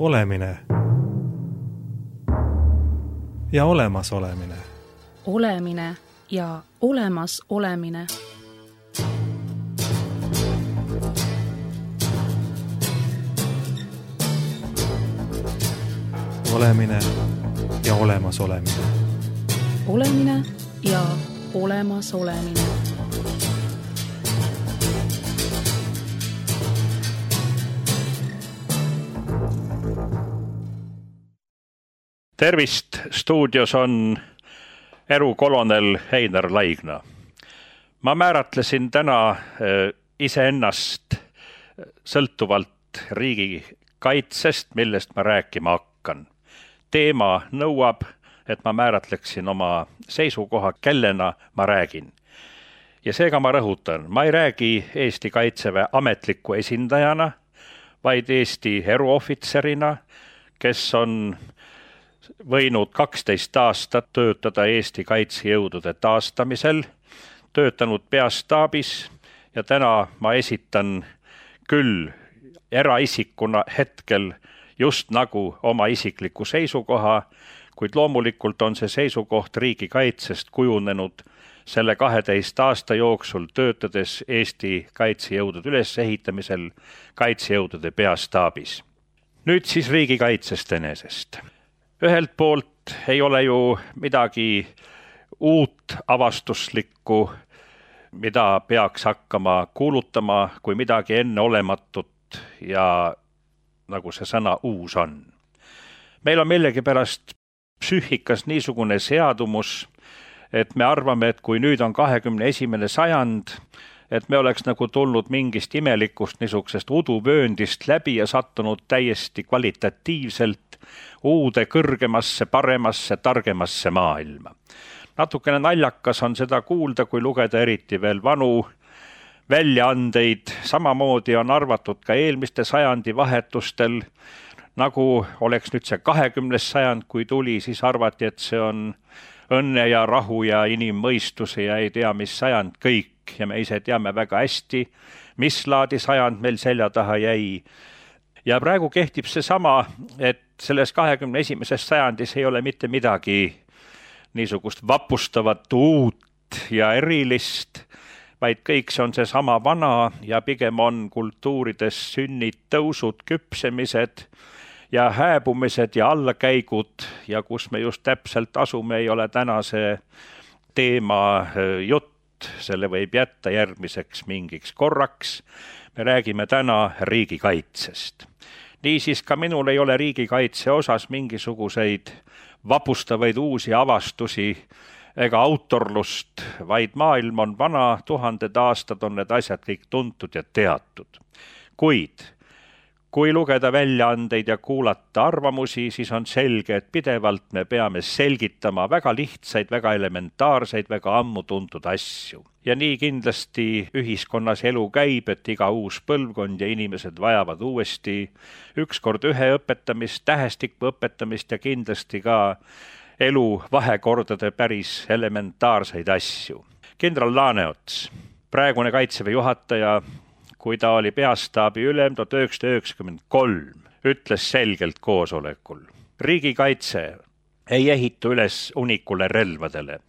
Olemine ja olemasolemine. Olemine ja olemas olemine. Olemine ja olemas olemine. Olemine ja olemas olemine. Tervist, stuudios on erukolonel Einar Laigna. Ma määratlesin täna iseennast sõltuvalt riigikaitsest, millest ma rääkima hakkan. Teema nõuab, et ma määratleksin oma seisukoha, kellena ma räägin. Ja seega ma rõhutan, ma ei räägi Eesti Kaitseväe ametliku esindajana, vaid Eesti eruohvitserina, kes on võinud 12 aastat töötada Eesti kaitsejõudude taastamisel, töötanud peastaabis ja täna ma esitan küll eraisikuna hetkel just nagu oma isikliku seisukoha, kuid loomulikult on see seisukoht riigikaitsest kujunenud selle 12 aasta jooksul töötades Eesti kaitsejõudude ülesehitamisel kaitsejõudude peastaabis. Nüüd siis riigikaitsest enesest. Ühelt poolt ei ole ju midagi uut avastuslikku, mida peaks hakkama kuulutama kui midagi enneolematut ja nagu see sõna uus on. Meil on millegipärast psüühikas niisugune seadumus, et me arvame, et kui nüüd on 21. sajand, et me oleks nagu tulnud mingist imelikust niisugusest uduvööndist läbi ja sattunud täiesti kvalitatiivselt uude, kõrgemasse, paremasse, targemasse maailma. Natukene naljakas on seda kuulda, kui lugeda eriti veel vanu väljaandeid. Samamoodi on arvatud ka eelmiste sajandi vahetustel, nagu oleks nüüd see 20. sajand, kui tuli, siis arvati, et see on õnne ja rahu ja inimmõistuse ja ei tea, mis sajand kõik. Ja me ise teame väga hästi, mis laadi sajand meil selja taha jäi. Ja praegu kehtib see sama, et selles 21. sajandis ei ole mitte midagi niisugust vapustavat uut ja erilist, vaid kõik see on see sama vana ja pigem on kultuurides sünnid, tõusud, küpsemised ja hääbumised ja allakäigud ja kus me just täpselt asume, ei ole tänase teema jutt, selle võib jätta järgmiseks mingiks korraks. Me räägime täna riigikaitsest. Niisiis ka minul ei ole riigikaitse osas mingisuguseid vapustavaid uusi avastusi ega autorlust, vaid maailm on vana, 1000 aastad on need asjad kõik tuntud ja teatud. Kuid kui lugeda väljaandeid ja kuulata arvamusi, siis on selge, et pidevalt me peame selgitama väga lihtsaid, väga elementaarseid, väga ammu tuntud asju. Ja nii kindlasti ühiskonnas elu käib, et iga uus põlvkond ja inimesed vajavad uuesti ükskord ühe õpetamist, tähestiku õpetamist ja kindlasti ka elu vahekordade päris elementaarseid asju. Kindral Laaneots, praegune Kaitseväe juhataja, kui ta oli peastaabi ülem 1993, ütles selgelt koosolekul. Riigikaitse ei ehitu üles unikule relvadele,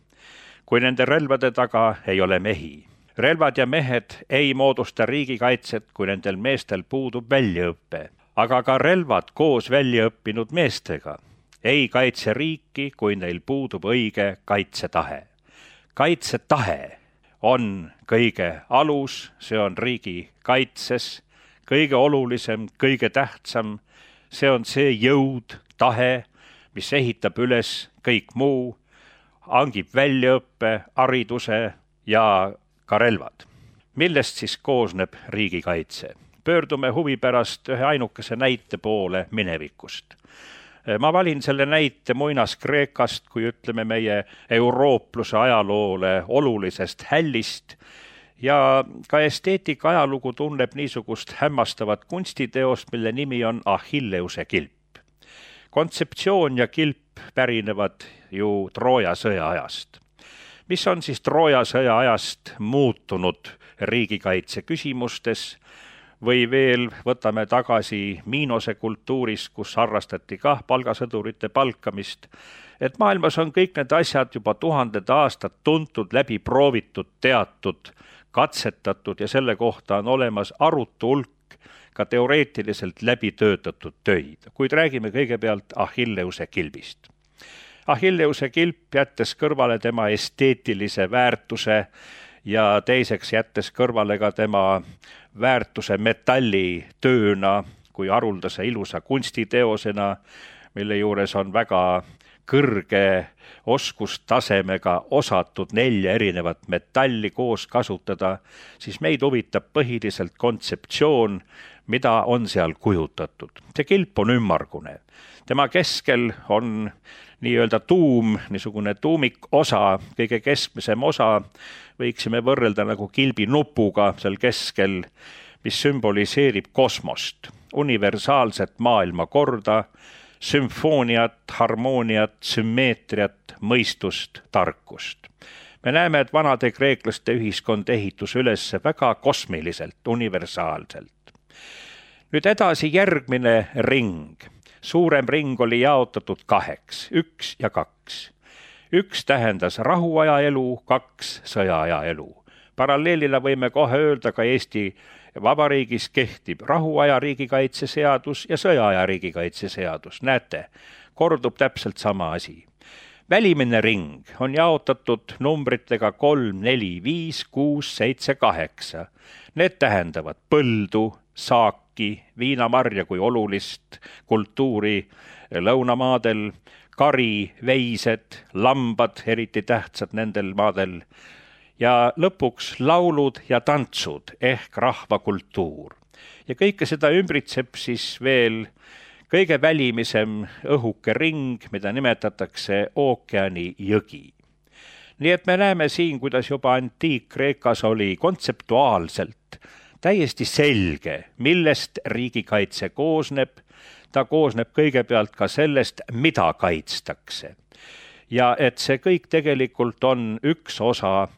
kui nende relvade taga ei ole mehi. Relvad ja mehed ei moodusta riigikaitset, kui nendel meestel puudub väljaõppe, aga ka relvad koos väljaõppinud meestega ei kaitse riiki, kui neil puudub õige kaitsetahe. Kaitsetahe on kõige alus, see on riigi kaitses, kõige olulisem, kõige tähtsam, see on see jõud, tahe, mis ehitab üles kõik muu, hangib väljaõppe, hariduse ja ka relvad. Millest siis koosneb riigikaitse? Pöördume huvi pärast ühe ainukese näite poole minevikust. Ma valin selle näite Muinas-Kreekast, kui ütleme meie euroopluse ajaloole olulisest hällist ja ka esteetika ajalugu tunneb niisugust hämmastavat kunstiteost, mille nimi on Achilleuse kilp. Kontseptsioon ja kilp pärinevad ju Trooja sõja ajast. Mis on siis Trooja sõja ajast muutunud riigikaitse küsimustes? või veel võtame tagasi Miinose kultuurist, kus harrastati kah palgasõdurite palkamist, et maailmas on kõik need asjad juba tuhanded aastad tuntud, läbi proovitud, teatud, katsetatud ja selle kohta on olemas arutu hulk ka teoreetiliselt läbi töötatud töid, kuid räägime kõigepealt Achilleuse kilbist. Achilleuse kilp, jättes kõrvale tema esteetilise väärtuse ja teiseks jättes kõrvale ka tema väärtuse metallitööna kui haruldase ilusa kunstiteosena, mille juures on väga kõrge oskustasemega osatud 4 erinevat metalli koos kasutada, siis meid huvitab põhiliselt kontseptsioon, mida on seal kujutatud. See kilp on ümmargune. Tema keskel on nii-öelda tuum, niisugune tuumikosa, kõige keskmisem osa, võiksime võrrelda nagu kilbi nupuga seal keskel, mis sümboliseerib kosmost, universaalset maailmakorda, sümfooniat, harmooniat, sümmeetriat, mõistust, tarkust. Me näeme, et vanade kreeklaste ühiskond ehitus üles väga kosmiliselt, universaalselt. Nüüd edasi järgmine ring. Suurem ring oli jaotatud 2, 1 ja 2. 1 tähendas rahuaja elu, 2 sõjaaja elu. Paralleelina võime kohe öelda ka Eesti Vabariigis kehtib rahuaja riigikaitseseadus ja sõjaaja riigikaitseseadus. Näete, kordub täpselt sama asi. Välimine ring on jaotatud numbritega 3, 4, 5, 6, 7, 8. Need tähendavad põldu, saaki, viinamarja kui olulist kultuuri lõunamaadel, kari, veised, lambad, eriti tähtsad nendel maadel, ja lõpuks laulud ja tantsud ehk rahvakultuur. Ja kõike seda ümbritseb siis veel kõige välimisem õhuke ring, mida nimetatakse ookeani jõgi. Nii et me näeme siin, kuidas juba Antiik-Kreekas oli kontseptuaalselt täiesti selge, millest riigikaitse koosneb. Ta koosneb kõigepealt ka sellest, mida kaitstakse. Ja et see kõik tegelikult on üks osa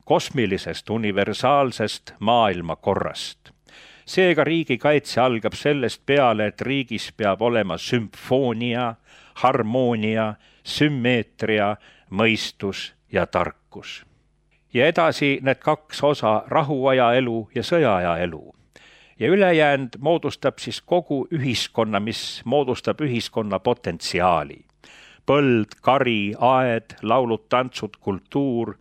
kosmilisest universaalsest maailmakorrast. Seega riigikaitse algab sellest peale, et riigis peab olema sümfoonia, harmoonia, sümmeetria, mõistus ja tarkus. Ja edasi need 2 osa, rahuaja elu ja sõjaaja elu. Ja ülejäänud moodustab siis kogu ühiskonna, mis moodustab ühiskonna potentsiaali. Põld, kari, aed, laulud, tantsud, kultuur,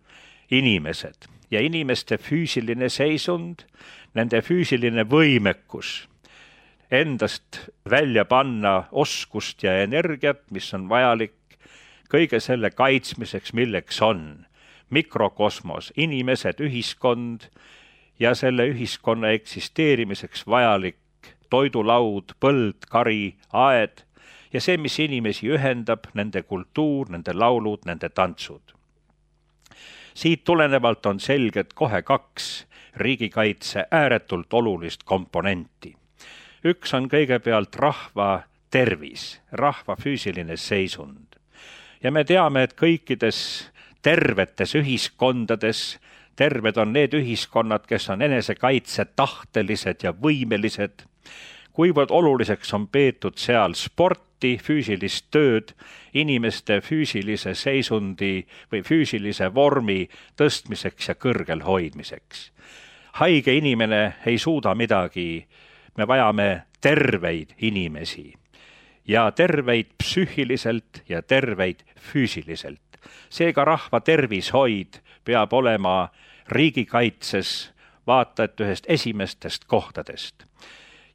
inimesed ja inimeste füüsiline seisund, nende füüsiline võimekus endast välja panna oskust ja energiat, mis on vajalik kõige selle kaitsmiseks, milleks on mikrokosmos, inimesed, ühiskond ja selle ühiskonna eksisteerimiseks vajalik toidulaud, põld, kari, aed ja see, mis inimesi ühendab, nende kultuur, nende laulud, nende tantsud. Siit tulenevalt on selged kohe 2 riigikaitse ääretult olulist komponenti. Üks on kõigepealt rahva tervis, rahva füüsiline seisund. Ja me teame, et kõikides tervetes ühiskondades, terved on need ühiskonnad, kes on enesekaitse tahtelised ja võimelised, kuivõrd oluliseks on peetud seal sporti, füüsilist tööd, inimeste füüsilise seisundi või füüsilise vormi tõstmiseks ja kõrgel hoidmiseks. Haige inimene ei suuda midagi, me vajame terveid inimesi ja terveid psüühiliselt ja terveid füüsiliselt. Seega rahva tervishoid peab olema riigikaitses vaata et ühest esimestest kohtadest.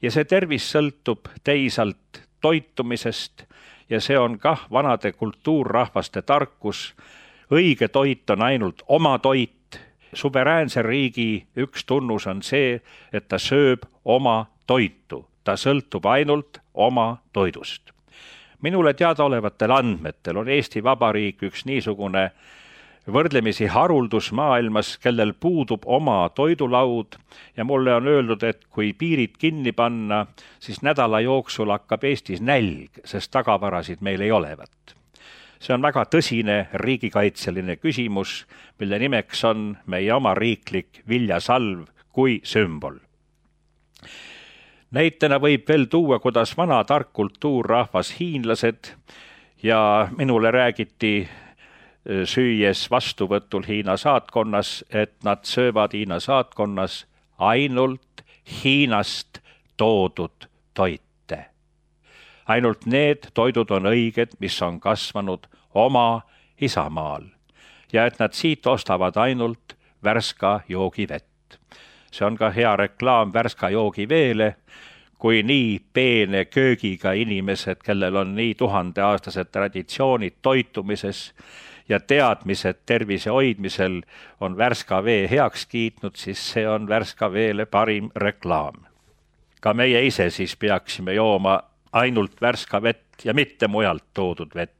Ja see tervis sõltub teisalt toitumisest ja see on kah vanade kultuurrahvaste tarkus. Õige toit on ainult oma toit. Suveräänse riigi üks tunnus on see, et ta sööb oma toitu. Ta sõltub ainult oma toidust. Minule teadaolevatel andmetel on Eesti Vabariik üks niisugune võrdlemisi haruldus maailmas, kellel puudub oma toidulaud ja mulle on öeldud, et kui piirid kinni panna, siis nädala jooksul hakkab Eestis nälg, sest tagavarasid meil ei olevat. See on väga tõsine riigikaitseline küsimus, mille nimeks on meie oma riiklik viljasalv kui sümbol. Näitena võib veel tuua, kuidas vana tark kultuurrahvas hiinlased ja minule räägiti süües vastuvõtul Hiina saatkonnas, et nad söövad Hiina saatkonnas ainult Hiinast toodud toite. Ainult need toidud on õiged, mis on kasvanud oma isamaal ja et nad siit ostavad ainult Värska joogivett. See on ka hea reklaam Värska joogiveele, kui nii peene köögiga inimesed, kellel on nii 1000-aastased traditsioonid toitumises ja teadmised tervise hoidmisel on Värska vee heaks kiitnud, siis see on Värska veele parim reklaam. Ka meie ise siis peaksime jooma ainult Värska vett ja mitte mujalt toodud vett.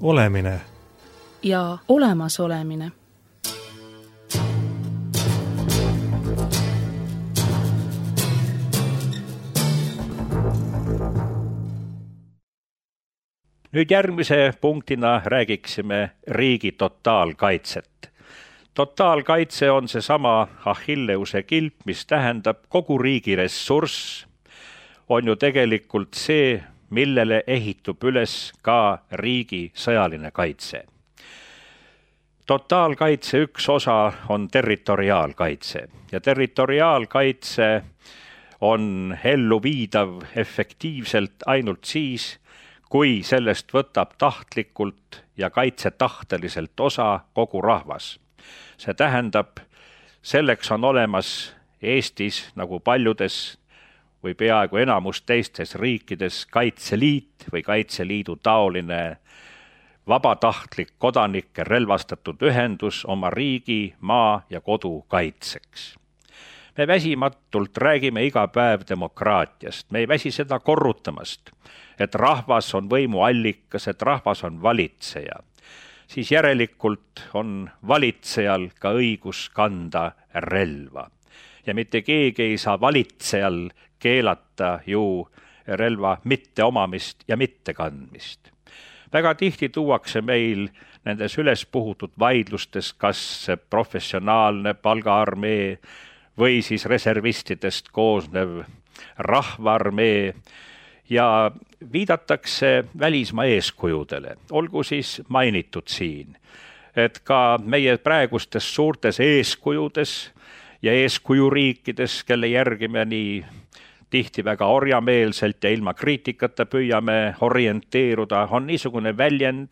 Olemine ja olemasolemine. Nüüd järgmise punktina räägiksime riigi totaalkaitset. Totaalkaitse on seesama Achilleuse kilp, mis tähendab kogu riigi ressurss, on ju tegelikult see, millele ehitub üles ka riigi sõjaline kaitse. Totaalkaitse üks osa on territoriaalkaitse ja territoriaalkaitse on elluviidav efektiivselt ainult siis, kui sellest võtab tahtlikult ja kaitsetahteliselt osa kogu rahvas. See tähendab, selleks on olemas Eestis nagu paljudes või peaaegu enamus teistes riikides Kaitseliit või Kaitseliidu taoline vabatahtlik kodanike relvastatud ühendus oma riigi, maa ja kodu kaitseks. Me väsimatult räägime iga päev demokraatiast, me ei väsi seda korrutamast, et rahvas on võimu allikas, et rahvas on valitseja. Siis järelikult on valitsejal ka õigus kanda relva. Ja mitte keegi ei saa valitsejal keelata ju relva mitte omamist ja mitte kandmist. Väga tihti tuuakse meil nendes üles puhutud vaidlustes, kas professionaalne palgaarmee või siis reservistidest koosnev rahvaarmee ja viidatakse välismaa eeskujudele. Olgu siis mainitud siin, et ka meie praegustes suurtes eeskujudes ja eeskujuriikides, kelle järgi me nii tihti väga orjameelselt ja ilma kriitikata püüame orienteeruda, on niisugune väljend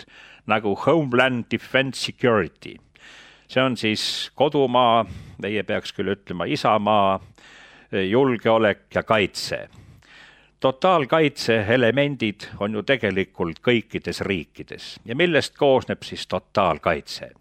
nagu Homeland Defense Security. See on siis kodumaa, meie peaks küll ütlema isamaa, julgeolek ja kaitse. Totaalkaitse elemendid on ju tegelikult kõikides riikides. Ja millest koosneb siis totaalkaitse?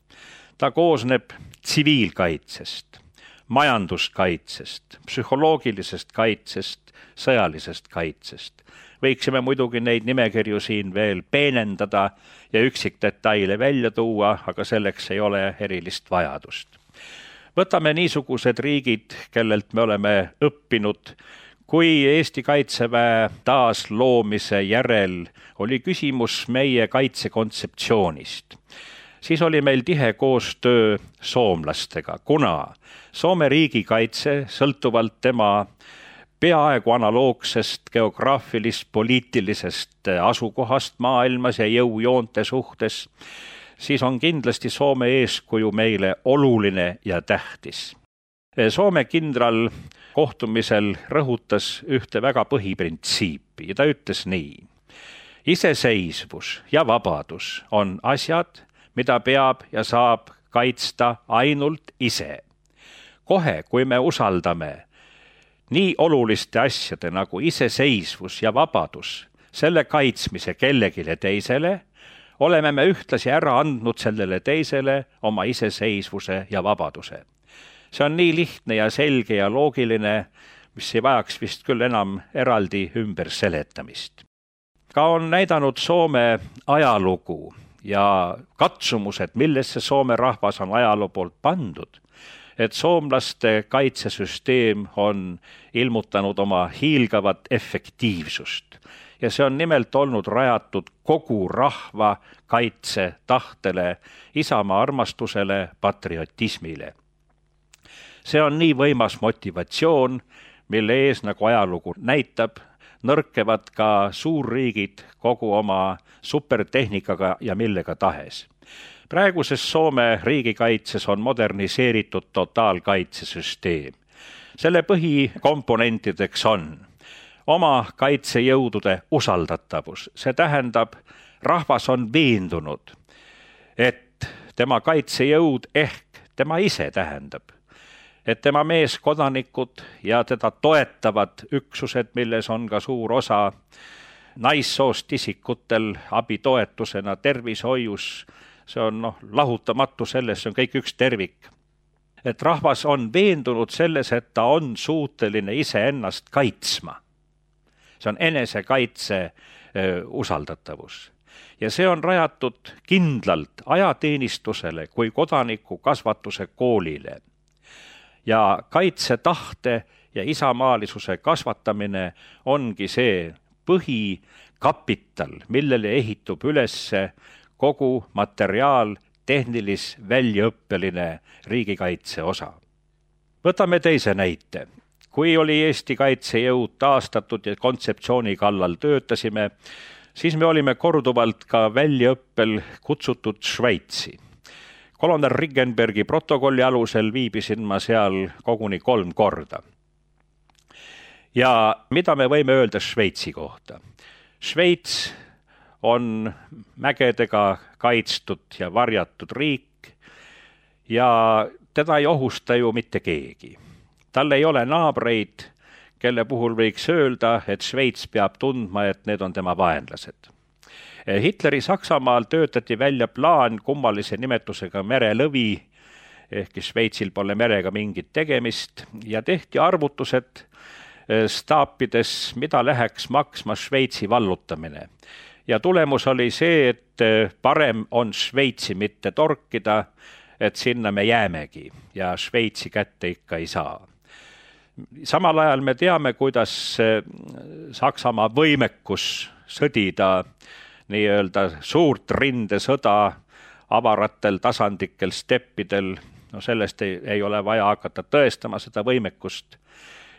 Ta koosneb tsiviilkaitsest, majanduskaitsest, psühholoogilisest kaitsest, sõjalisest kaitsest. Võiksime muidugi neid nimekirju siin veel peenendada ja üksikdetaile välja tuua, aga selleks ei ole erilist vajadust. Võtame niisugused riigid, kellelt me oleme õppinud. Kui Eesti Kaitseväe taasloomise järel oli küsimus meie kaitsekontseptsioonist, siis oli meil tihe koostöö soomlastega, kuna Soome riigikaitse sõltuvalt tema peaaegu analoogsest geograafilist-poliitilisest asukohast maailmas ja jõujoonte suhtes, siis on kindlasti Soome eeskuju meile oluline ja tähtis. Soome kindral kohtumisel rõhutas ühte väga põhiprintsiipi ja ta ütles nii. Iseseisvus ja vabadus on asjad, mida peab ja saab kaitsta ainult ise. Kohe, kui me usaldame nii oluliste asjade nagu iseseisvus ja vabadus, selle kaitsmise kellegile teisele, oleme me ühtlasi ära andnud sellele teisele oma iseseisvuse ja vabaduse. See on nii lihtne ja selge ja loogiline, mis ei vajaks vist küll enam eraldi ümber seletamist. Ka on näidanud Soome ajalugu ja katsumused, millesse Soome rahvas on ajaloo poolt pandud, et soomlaste kaitsesüsteem on ilmutanud oma hiilgavat efektiivsust. Ja see on nimelt olnud rajatud kogu rahva kaitse tahtele, isamaa armastusele, patriotismile. See on nii võimas motivatsioon, mille ees, nagu ajalugu näitab, nõrkevad ka suurriigid kogu oma supertehnikaga ja millega tahes. Praeguses Soome riigikaitses on moderniseeritud totaalkaitsesüsteem. Selle põhikomponentideks on oma kaitsejõudude usaldatavus. See tähendab, rahvas on veendunud, et tema kaitsejõud ehk tema ise tähendab, et tema meeskodanikud ja teda toetavad üksused, milles on ka suur osa naissoost isikutel abitoetusena tervishoius, see on lahutamatu selles, see on kõik üks tervik. Et rahvas on veendunud selles, et ta on suuteline iseennast kaitsma. See on enesekaitse usaldatavus. Ja see on rajatud kindlalt ajateenistusele kui kodaniku kasvatuse koolile. Ja kaitsetahte ja isamaalisuse kasvatamine ongi see põhikapital, millele ehitub ülesse kogu materiaal, tehnilis, väljaõppeline riigikaitse osa. Võtame teise näite. Kui oli Eesti kaitsejõud taastatud ja kontseptsiooni kallal töötasime, siis me olime korduvalt ka väljaõppel kutsutud Šveitsi. Kolonel Riggenbergi protokolli alusel viibisin ma seal koguni 3 korda. Ja mida me võime öelda Šveitsi kohta? Šveits on mägedega kaitstud ja varjatud riik ja teda ei ohusta ju mitte keegi. Tal ei ole naabreid, kelle puhul võiks öelda, et Šveits peab tundma, et need on tema vaenlased. Hitleri Saksamaal töötati välja plaan kummalise nimetusega merelõvi, ehkki Šveitsil pole merega mingit tegemist, ja tehti arvutused staapides, mida läheks maksma Šveitsi vallutamine. Ja tulemus oli see, et parem on Šveitsi mitte torkida, et sinna me jäämegi ja Šveitsi kätte ikka ei saa. Samal ajal me teame, kuidas Saksamaa võimekus sõdida nii-öelda suurt rindesõda avaratel tasandikel steppidel, no sellest ei ole vaja hakata tõestama seda võimekust.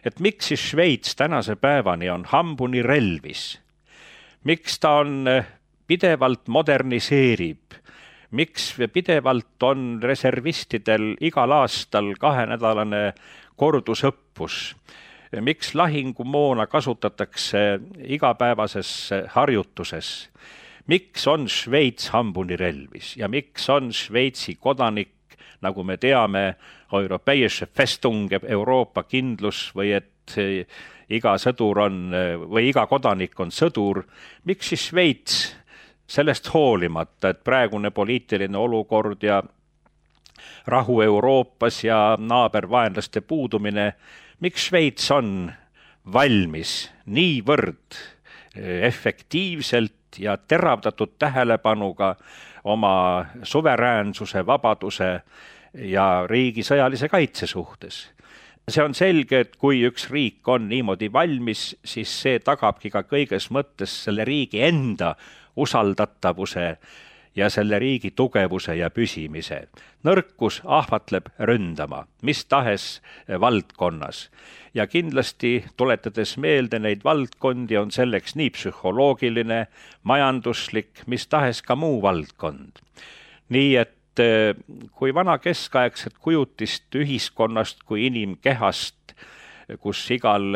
Et miks siis Šveits tänase päevani on hambuni relvis? Miks ta on pidevalt moderniseerib? Miks pidevalt on reservistidel igal aastal 2-nädalane kordusõppus? Miks lahingumoona kasutatakse igapäevases harjutuses? Miks on Šveits hambuni relvis ja miks on Šveitsi kodanik, nagu me teame, Europäische Festung, Euroopa kindlus või et iga sõdur on või iga kodanik on sõdur? Miks siis Šveits sellest hoolimata, et praegune poliitiline olukord ja rahu Euroopas ja naabervaenlaste puudumine, miks Šveits on valmis niivõrd efektiivselt ja teravdatud tähelepanuga oma suveräänsuse, vabaduse ja riigi sõjalise kaitse suhtes? See on selge, et kui üks riik on niimoodi valmis, siis see tagabki ka kõiges mõttes selle riigi enda usaldatavuse ja selle riigi tugevuse ja püsimise. Nõrkus ahvatleb ründama, mis tahes valdkonnas. Ja kindlasti tuletades meelde neid valdkondi on selleks nii psühholoogiline, majanduslik, mis tahes ka muu valdkond. Nii et kui vana keskaegset kujutist ühiskonnast kui inimkehast, kus igal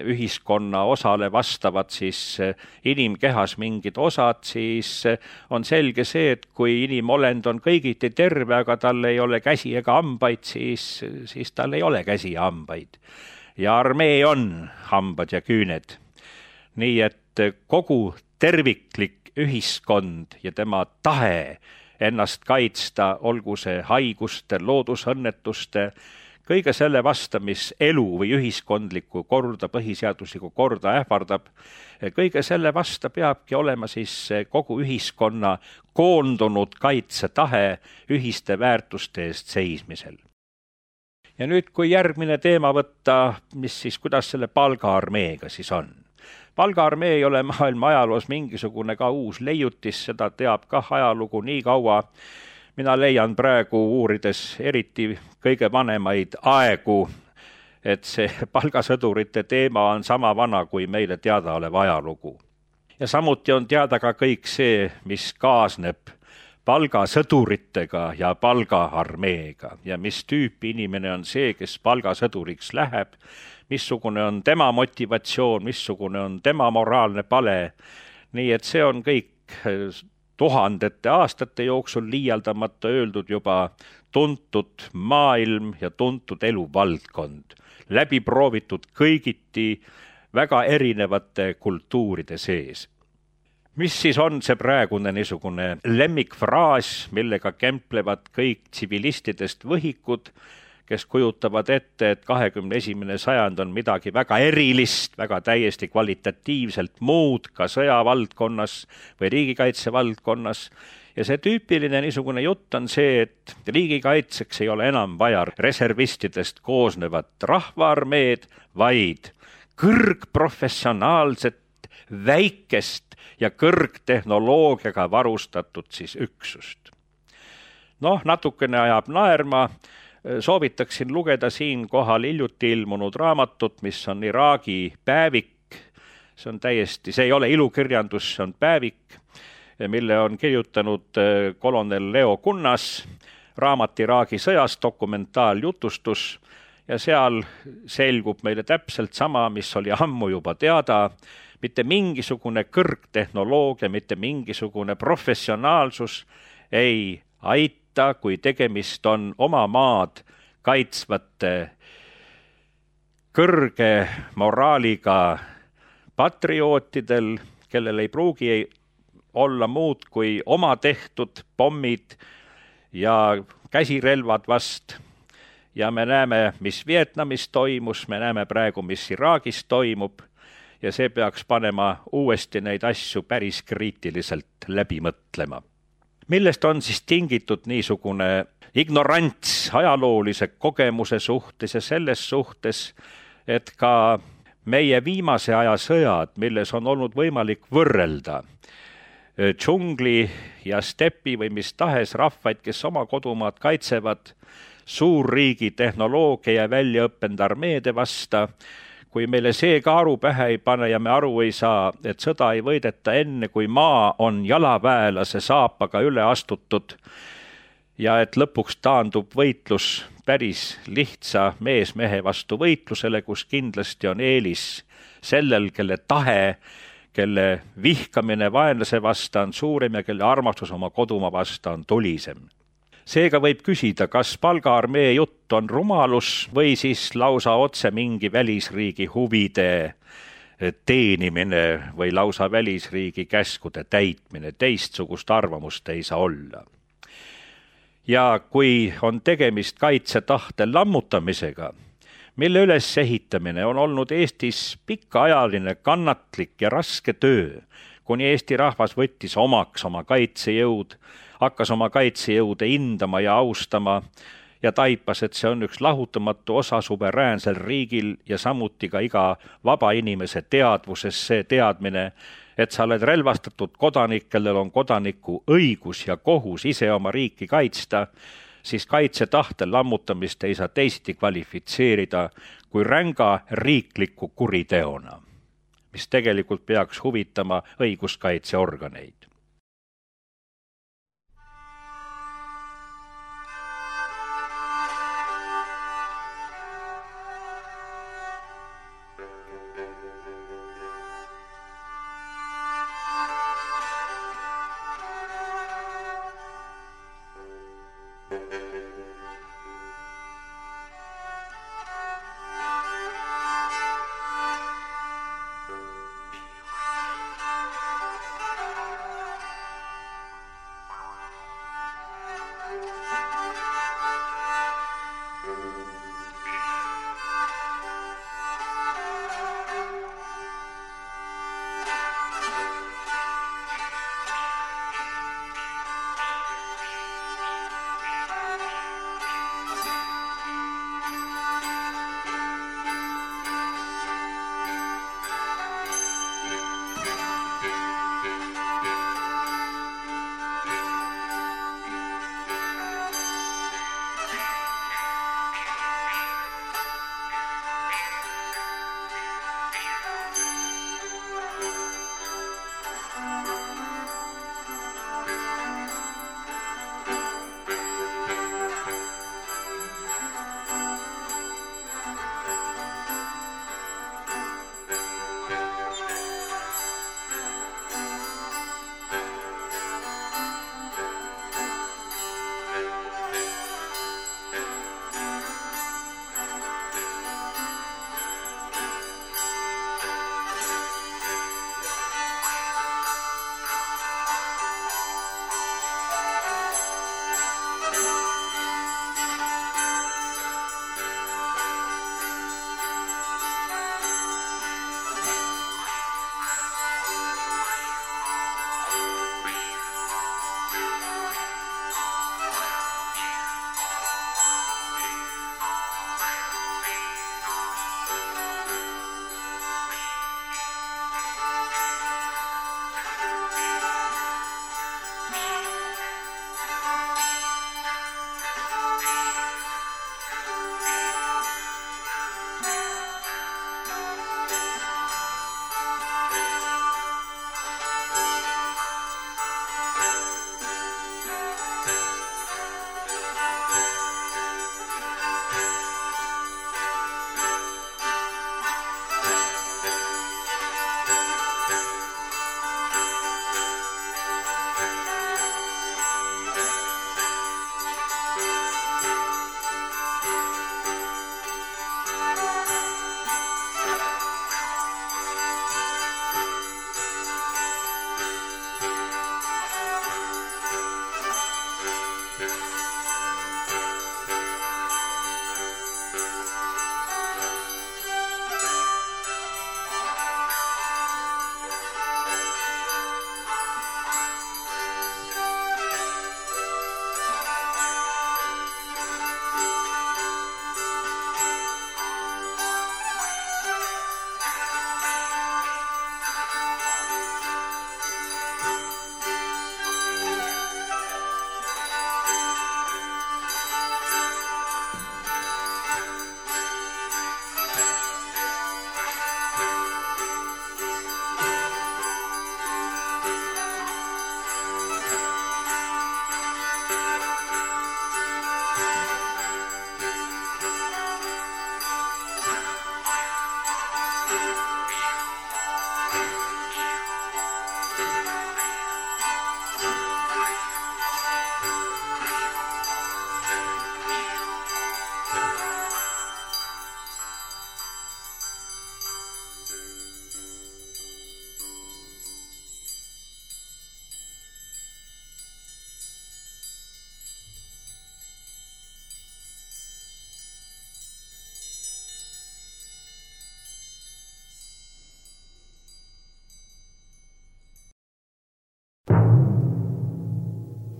ühiskonna osale vastavad siis inimkehas mingid osad, siis on selge see, et kui inimolend on kõigiti terve, aga tal ei ole käsi ega hambaid, siis tal ei ole käsi ja hambaid. Ja armee on hambad ja küüned. Nii et kogu terviklik ühiskond ja tema tahe ennast kaitsta, olgu see haiguste, loodusõnnetuste, kõige selle vasta, mis elu või ühiskondlikku korda, põhiseaduslikku korda ähvardab, kõige selle vasta peabki olema siis kogu ühiskonna koondunud kaitsetahe ühiste väärtuste eest seismisel. Ja nüüd, kui järgmine teema võtta, kuidas selle palgaarmeega siis on? Palgaarmee ei ole maailma ajaloos mingisugune ka uus leiutis, seda teab kah ajalugu nii kaua. Mina leian praegu uurides eriti kõige vanemaid aegu, et see palgasõdurite teema on sama vana kui meile teada olev ajalugu. Ja samuti on teada ka kõik see, mis kaasneb palgasõduritega ja palgaarmeega ja mis tüüpi inimene on see, kes palgasõduriks läheb, missugune on tema motivatsioon, missugune on tema moraalne pale. Nii et see on kõik tuhandete aastate jooksul liialdamata öeldud juba tuntud maailm ja tuntud eluvaldkond, läbi proovitud kõigiti väga erinevate kultuuride sees. Mis siis on see praegune niisugune lemmikfraas, millega kemplevad kõik tsivilistidest võhikud, kes kujutavad ette, et 21. sajand on midagi väga erilist, väga täiesti kvalitatiivselt muud ka sõjavaldkonnas või riigikaitse valdkonnas. Ja see tüüpiline niisugune jutt on see, et riigikaitseks ei ole enam vaja reservistidest koosnevat rahvaarmeed, vaid kõrgprofessionaalset, väikest ja kõrgtehnoloogiaga varustatud siis üksust. Natukene ajab naerma. Soovitaksin lugeda siin kohal hiljuti ilmunud raamatut, mis on Iraagi päevik. See ei ole ilukirjandus, see on päevik, mille on kirjutanud kolonel Leo Kunnas, raamat Iraagi sõjas, dokumentaaljutustus, ja seal selgub meile täpselt sama, mis oli ammu juba teada, mitte mingisugune kõrgtehnoloogia, mitte mingisugune professionaalsus ei aita, kui tegemist on oma maad kaitsvate kõrge moraaliga patriootidel, kellel ei pruugi olla muud kui oma tehtud pommid ja käsirelvad vast. Ja me näeme, mis Vietnamis toimus, me näeme praegu, mis Iraagis toimub ja see peaks panema uuesti neid asju päris kriitiliselt läbi mõtlema. Millest on siis tingitud niisugune ignorants ajaloolise kogemuse suhtes ja selles suhtes, et ka meie viimase aja sõjad, milles on olnud võimalik võrrelda džungli ja stepi või mis tahes rahvaid, kes oma kodumaad kaitsevad suurriigi tehnoloogia ja väljaõppend armeede vasta, kui meile see ka aru pähe ei pane ja me aru ei saa, et sõda ei võideta enne, kui maa on jalaväelase saapaga üle astutud ja et lõpuks taandub võitlus päris lihtsa mees-mehe vastu võitlusele, kus kindlasti on eelis sellel, kelle tahe, kelle vihkamine vaenlase vasta on suurem ja kelle armastus oma kodumaa vasta on tulisem. Seega võib küsida, kas palgaarmee jutt on rumalus või siis lausa otse mingi välisriigi huvide teenimine või lausa välisriigi käskude täitmine. Teistsugust arvamust ei saa olla. Ja kui on tegemist kaitsetahte lammutamisega, mille ülesehitamine on olnud Eestis pikaajaline, kannatlik ja raske töö, kuni Eesti rahvas võttis omaks oma kaitsejõud, hakkas oma kaitsejõude hindama ja austama ja taipas, et see on üks lahutamatu osa suveräänsel riigil ja samuti ka iga vaba inimese teadvuses see teadmine, et sa oled relvastatud kodanik, kellel on kodaniku õigus ja kohus ise oma riiki kaitsta, siis kaitsetahte lammutamist ei saa teisiti kvalifitseerida kui ränga riikliku kuriteona, mis tegelikult peaks huvitama õiguskaitseorganeid.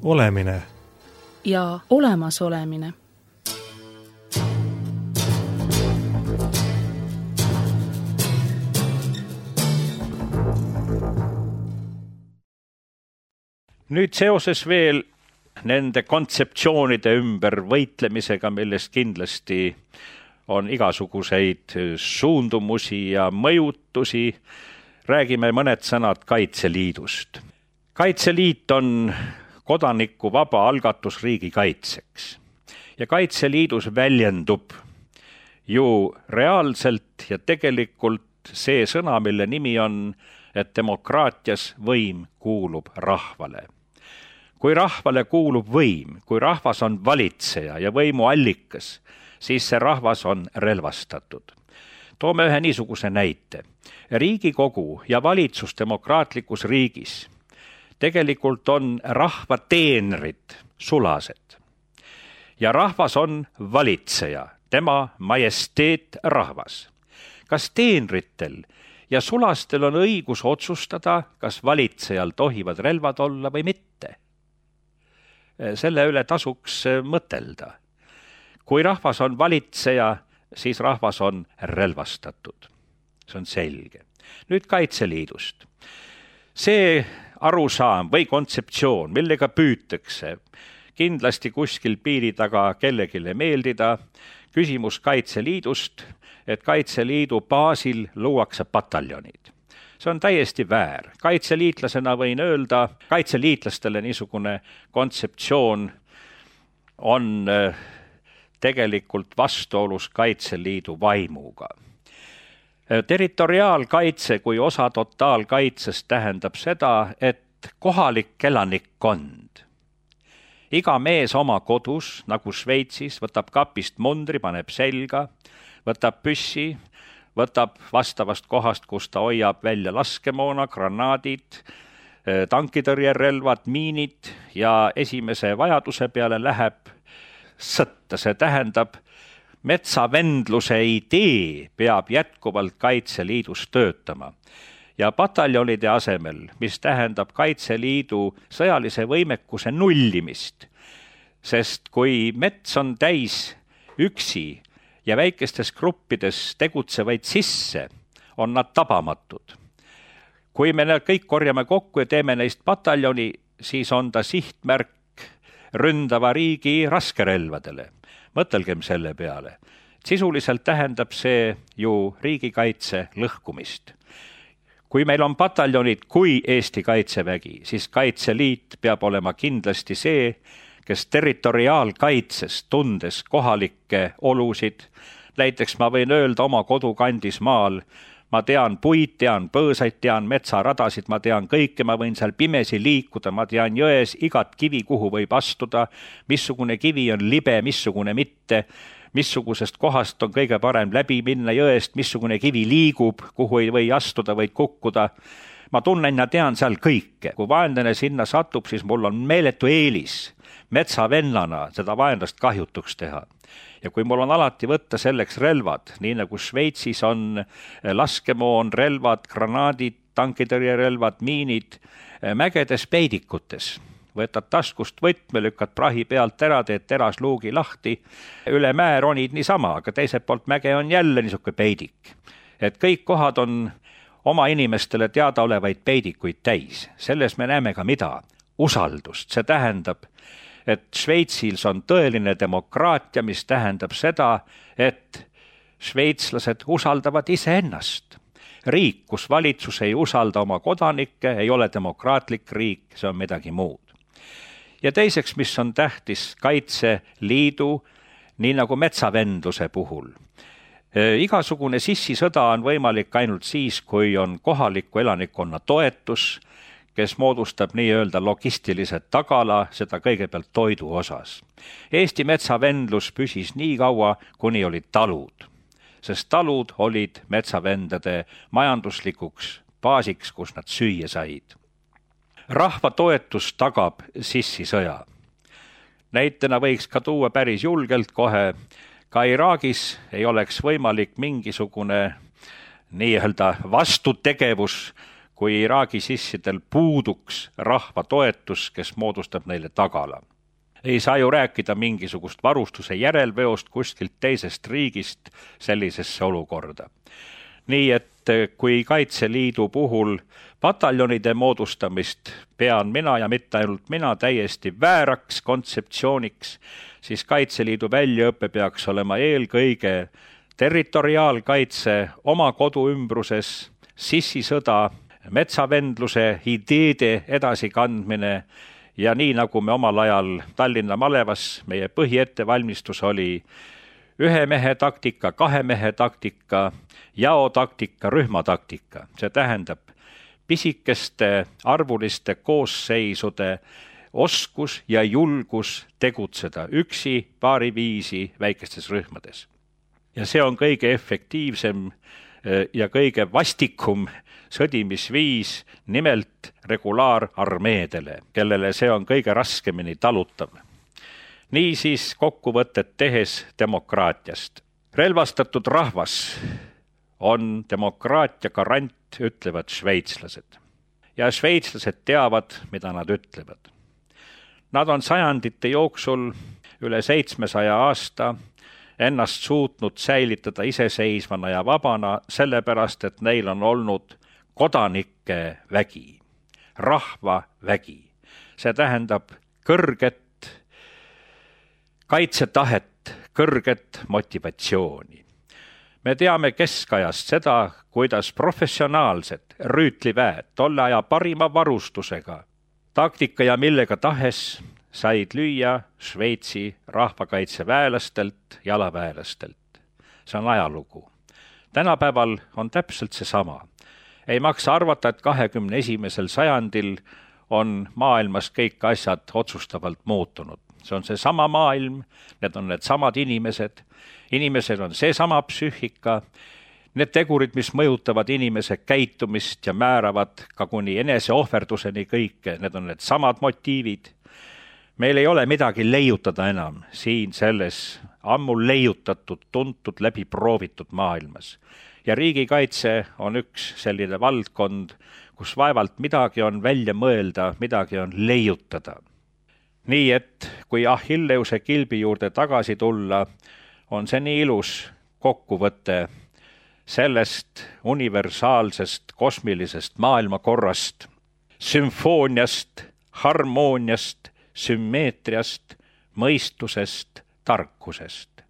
olemine ja olemasolemine. Nüüd seoses veel nende kontseptsioonide ümber võitlemisega, millest kindlasti on igasuguseid suundumusi ja mõjutusi, räägime mõned sõnad Kaitseliidust. Kaitseliit on kodaniku vaba algatus riigi kaitseks ja Kaitseliidus väljendub ju reaalselt ja tegelikult see sõna, mille nimi on, et demokraatias võim kuulub rahvale. Kui rahvale kuulub võim, kui rahvas on valitseja ja võimu allikas, siis see rahvas on relvastatud. Toome ühe niisuguse näite. Riigikogu ja valitsus demokraatlikus riigis tegelikult on rahva teenrid, sulased. Ja rahvas on valitseja, tema majesteet rahvas. Kas teenritel ja sulastel on õigus otsustada, kas valitsejal tohivad relvad olla või mitte? Selle üle tasuks mõtelda. Kui rahvas on valitseja, siis rahvas on relvastatud. See on selge. Nüüd Kaitseliidust. See arusaam või kontseptsioon, millega püütakse kindlasti kuskil piiri taga kellegile meeldida, küsimus Kaitseliidust, et Kaitseliidu baasil luuakse pataljonid. See on täiesti väär. Kaitseliitlasena võin öelda, kaitseliitlastele niisugune kontseptsioon on tegelikult vastuolus Kaitseliidu vaimuga. Territoriaalkaitse kui osa totaalkaitsest tähendab seda, et kohalik elanikkond, iga mees oma kodus, nagu Šveitsis, võtab kapist mundri, paneb selga, võtab püssi, võtab vastavast kohast, kus ta hoiab välja laskemoona, granaadid, tankitõrjerelvad, miinid ja esimese vajaduse peale läheb sõtta. See tähendab, metsavendluse idee peab jätkuvalt Kaitseliidus töötama. Ja pataljonide asemel, mis tähendab Kaitseliidu sõjalise võimekuse nullimist, sest kui mets on täis üksi ja väikestes gruppides tegutsevaid sisse, on nad tabamatud. Kui me need kõik korjame kokku ja teeme neist pataljoni, siis on ta sihtmärk ründava riigi raskerelvadele. Mõtelgem selle peale. Sisuliselt tähendab see ju riigikaitse lõhkumist. Kui meil on pataljonid kui Eesti Kaitsevägi, siis Kaitseliit peab olema kindlasti see, kes territoriaalkaitses tundes kohalikke olusid. Näiteks ma võin öelda oma kodukandis maal, ma tean puid, tean põõsaid, tean metsaradasid, ma tean kõike, ma võin seal pimesi liikuda, ma tean jões igat kivi, kuhu võib astuda, missugune kivi on libe, missugune mitte, missugusest kohast on kõige parem läbi minna jõest, missugune kivi liigub, kuhu ei või astuda, võid kukkuda. Ma tunnen ja tean seal kõike. Kui vaenlane sinna satub, siis mul on meeletu eelis metsavennana seda vaenlast kahjutuks teha. Ja kui mul on alati võtta selleks relvad, nii nagu Šveitsis on laskemoon, relvad, granaadid, tankitõrjerelvad, miinid, mägedes peidikutes. Võtad taskust võtme, lükkad prahi pealt ära, teed terasluugi lahti, üle mäe ronid niisama, aga teiselt poolt mäge on jälle niisugune peidik. Et kõik kohad on oma inimestele teada olevaid peidikuid täis. Selles me näeme ka mida? Usaldust. See tähendab, et Šveitsis on tõeline demokraatia, mis tähendab seda, et šveitslased usaldavad iseennast. Riik, kus valitsus ei usalda oma kodanikke, ei ole demokraatlik riik, see on midagi muud. Ja teiseks, mis on tähtis Kaitseliidu, nii nagu metsavendluse puhul. Igasugune sissisõda on võimalik ainult siis, kui on kohaliku elanikkonna toetus, kes moodustab nii-öelda logistilise tagala, seda kõigepealt toidu osas. Eesti metsavendlus püsis nii kaua, kuni olid talud, sest talud olid metsavendade majanduslikuks baasiks, kus nad süüa said. Rahva toetus tagab sissisõja. Näitena võiks ka tuua päris julgelt kohe, ka Iraagis ei oleks võimalik mingisugune nii-öelda vastutegevus, kui Iraagi sissidel puuduks rahva toetus, kes moodustab neile tagala. Ei saa ju rääkida mingisugust varustuse järelveost kuskilt teisest riigist sellisesse olukorda. Nii et kui Kaitseliidu puhul pataljonide moodustamist pean mina ja mitte ainult mina täiesti vääraks kontseptsiooniks, siis Kaitseliidu väljaõpe peaks olema eelkõige territoriaalkaitse oma kodu ümbruses, sissisõda, metsavendluse ideede edasikandmine ja nii nagu me omal ajal Tallinna malevas, meie põhiettevalmistus oli 1 mehe taktika, 2 mehe taktika, jaotaktika, rühmataktika. See tähendab pisikeste arvuliste koosseisude oskus ja julgus tegutseda üksi, paariviisi väikestes rühmades. Ja see on kõige efektiivsem ja kõige vastikum sõdimisviis nimelt regulaararmeedele, kellele see on kõige raskemini talutav. Niisiis kokkuvõtet tehes demokraatiast. Relvastatud rahvas on demokraatia garant, ütlevad šveitslased. Ja šveitslased teavad, mida nad ütlevad. Nad on sajandite jooksul üle 700 aasta ennast suutnud säilitada iseseisvana ja vabana, sellepärast, et neil on olnud kodanike vägi, rahva vägi. See tähendab kõrget kaitsetahet, kõrget motivatsiooni. Me teame keskajast seda, kuidas professionaalsed rüütliväed tolle aja parima varustusega, taktika ja millega tahes said lüüa Šveitsi rahvakaitseväelastelt, jalaväelastelt. See on ajalugu. Tänapäeval on täpselt seesama. Ei maksa arvata, et 21. sajandil on maailmas kõik asjad otsustavalt muutunud. See on see sama maailm, need on need samad inimesed, inimesed on see sama psüühika, need tegurid, mis mõjutavad inimese käitumist ja määravad ka kuni eneseohverduseni kõike, need on need samad motiivid. Meil ei ole midagi leiutada enam siin selles ammu leiutatud, tuntud, läbi proovitud maailmas. Ja riigikaitse on üks selline valdkond, kus vaevalt midagi on välja mõelda, midagi on leiutada. Nii et kui Achilleuse kilbi juurde tagasi tulla, on see nii ilus kokkuvõte sellest universaalsest kosmilisest maailmakorrast, sümfooniast, harmooniast, sümmeetriast, mõistusest, tarkusest.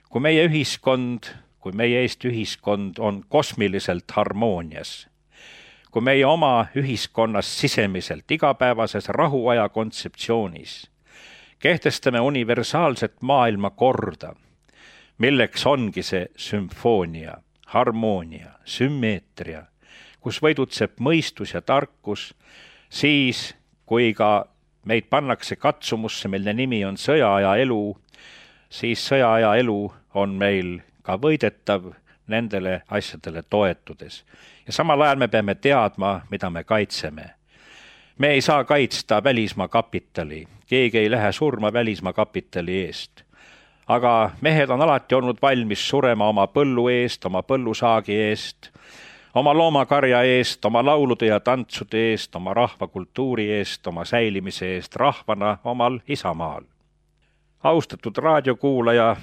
Kui meie ühiskond, kui meie Eesti ühiskond on kosmiliselt harmoonias, kui meie oma ühiskonnas sisemiselt igapäevases rahuaja kontseptsioonis kehtestame universaalset maailmakorda, milleks ongi see sümfoonia, harmoonia, sümmeetria, kus võidutseb mõistus ja tarkus, siis kui ka meid pannakse katsumusse, mille nimi on sõjaaja elu, siis sõjaaja elu on meil ka võidetav nendele asjadele toetudes. Ja samal ajal me peame teadma, mida me kaitseme. Me ei saa kaitsta välismaa kapitali, keegi ei lähe surma välismaa kapitali eest. Aga mehed on alati olnud valmis surema oma põllu eest, oma põllusaagi eest, oma loomakarja eest, oma laulude ja tantsude eest, oma rahvakultuuri eest, oma säilimise eest rahvana omal isamaal. Austatud raadiokuulaja,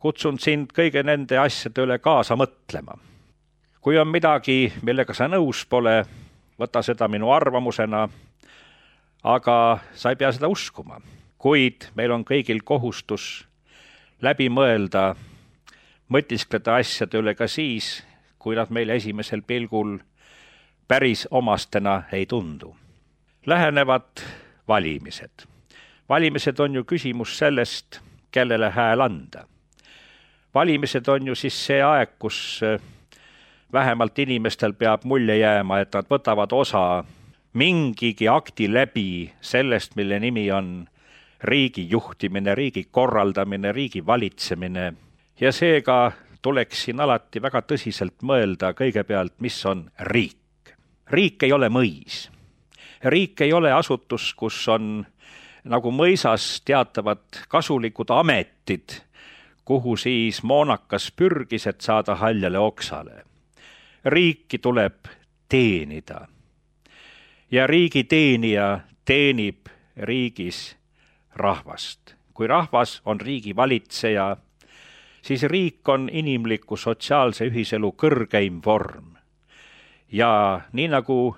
kutsun sind kõige nende asjade üle kaasa mõtlema. Kui on midagi, millega sa nõus pole, võta seda minu arvamusena, aga sa ei pea seda uskuma. Kuid meil on kõigil kohustus läbi mõelda, mõtiskleda asjade üle ka siis, kui nad meile esimesel pilgul päris omastena ei tundu. Lähenevad valimised. Valimised on ju küsimus sellest, kellele hääl anda. Valimised on ju siis see aeg, kus vähemalt inimestel peab mulje jääma, et nad võtavad osa mingigi akti läbi sellest, mille nimi on riigi juhtimine, riigi korraldamine, riigi valitsemine. Ja seega tuleks siin alati väga tõsiselt mõelda kõigepealt, mis on riik. Riik ei ole mõis. Riik ei ole asutus, kus on nagu mõisas teatavad kasulikud ametid, kuhu siis moonakas pürgis, et saada haljale oksale. Riiki tuleb teenida. Ja riigi teenija teenib riigis rahvast. Kui rahvas on riigi valitseja, siis riik on inimliku sotsiaalse ühiselu kõrgeim vorm. Ja nii nagu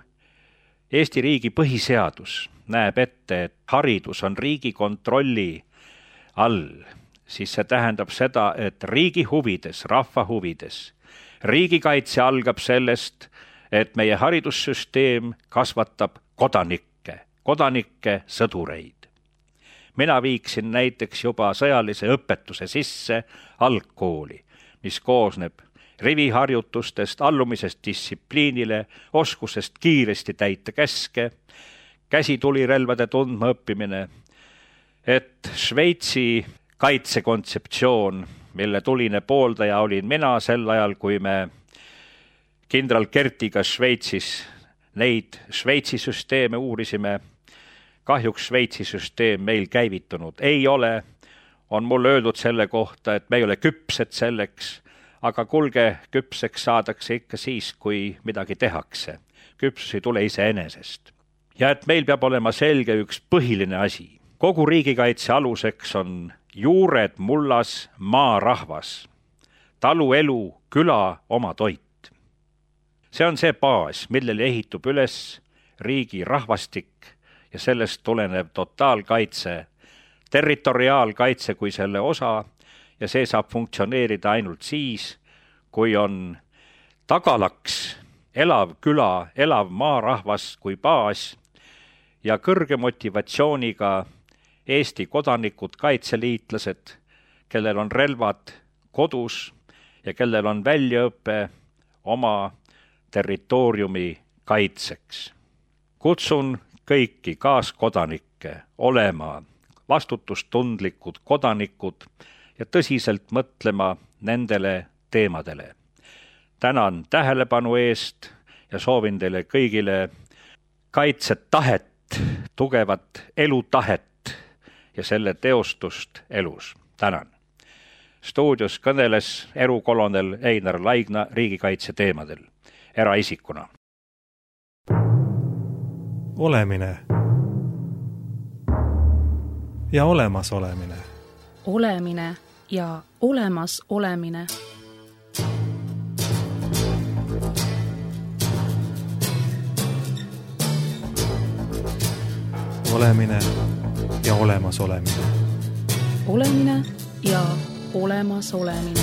Eesti riigi põhiseadus näeb ette, et haridus on riigi kontrolli all, siis see tähendab seda, et riigi huvides, rahva huvides, riigikaitse algab sellest, et meie haridussüsteem kasvatab kodanikke sõdureid. Mina viiksin näiteks juba sõjalise õpetuse sisse algkooli, mis koosneb riviharjutustest, allumisest distsipliinile, oskusest kiiresti täita käske, käsitulirelvade tundma õppimine, et Šveitsi kaitsekontseptsioon, mille tuline pooldaja olin mina sel ajal, kui me kindral Kertiga Šveitsis neid Šveitsi süsteeme uurisime. Kahjuks Šveitsi süsteem meil käivitunud ei ole. On mulle öeldud selle kohta, et me ei ole küpsed selleks, aga kulge, küpseks saadakse ikka siis, kui midagi tehakse. Küpsus ei tule iseenesest. Ja et meil peab olema selge üks põhiline asi. Kogu riigikaitse aluseks on juured mullas maarahvas, taluelu, küla, oma toit. See on see baas, millele ehitub üles riigi rahvastik ja sellest tulenev totaalkaitse, territoriaalkaitse kui selle osa ja see saab funktsioneerida ainult siis, kui on tagalaks, elav küla, elav maarahvas kui baas ja kõrge motivatsiooniga Eesti kodanikud, kaitseliitlased, kellel on relvad kodus ja kellel on väljaõpe oma territooriumi kaitseks. Kutsun kõiki kaaskodanikke olema vastutustundlikud kodanikud ja tõsiselt mõtlema nendele teemadele. Tänan tähelepanu eest ja soovin teile kõigile kaitsetahet, tugevat elutahet ja selle teostust elus. Tänan. Stuudios kõneles erukolonel Einar Laigna riigikaitse teemadel, eraisikuna. Olemine ja olemas olemine. Olemine ja olemas olemine. Olemine ja olemas olemine. Olemine ja olemas olemine.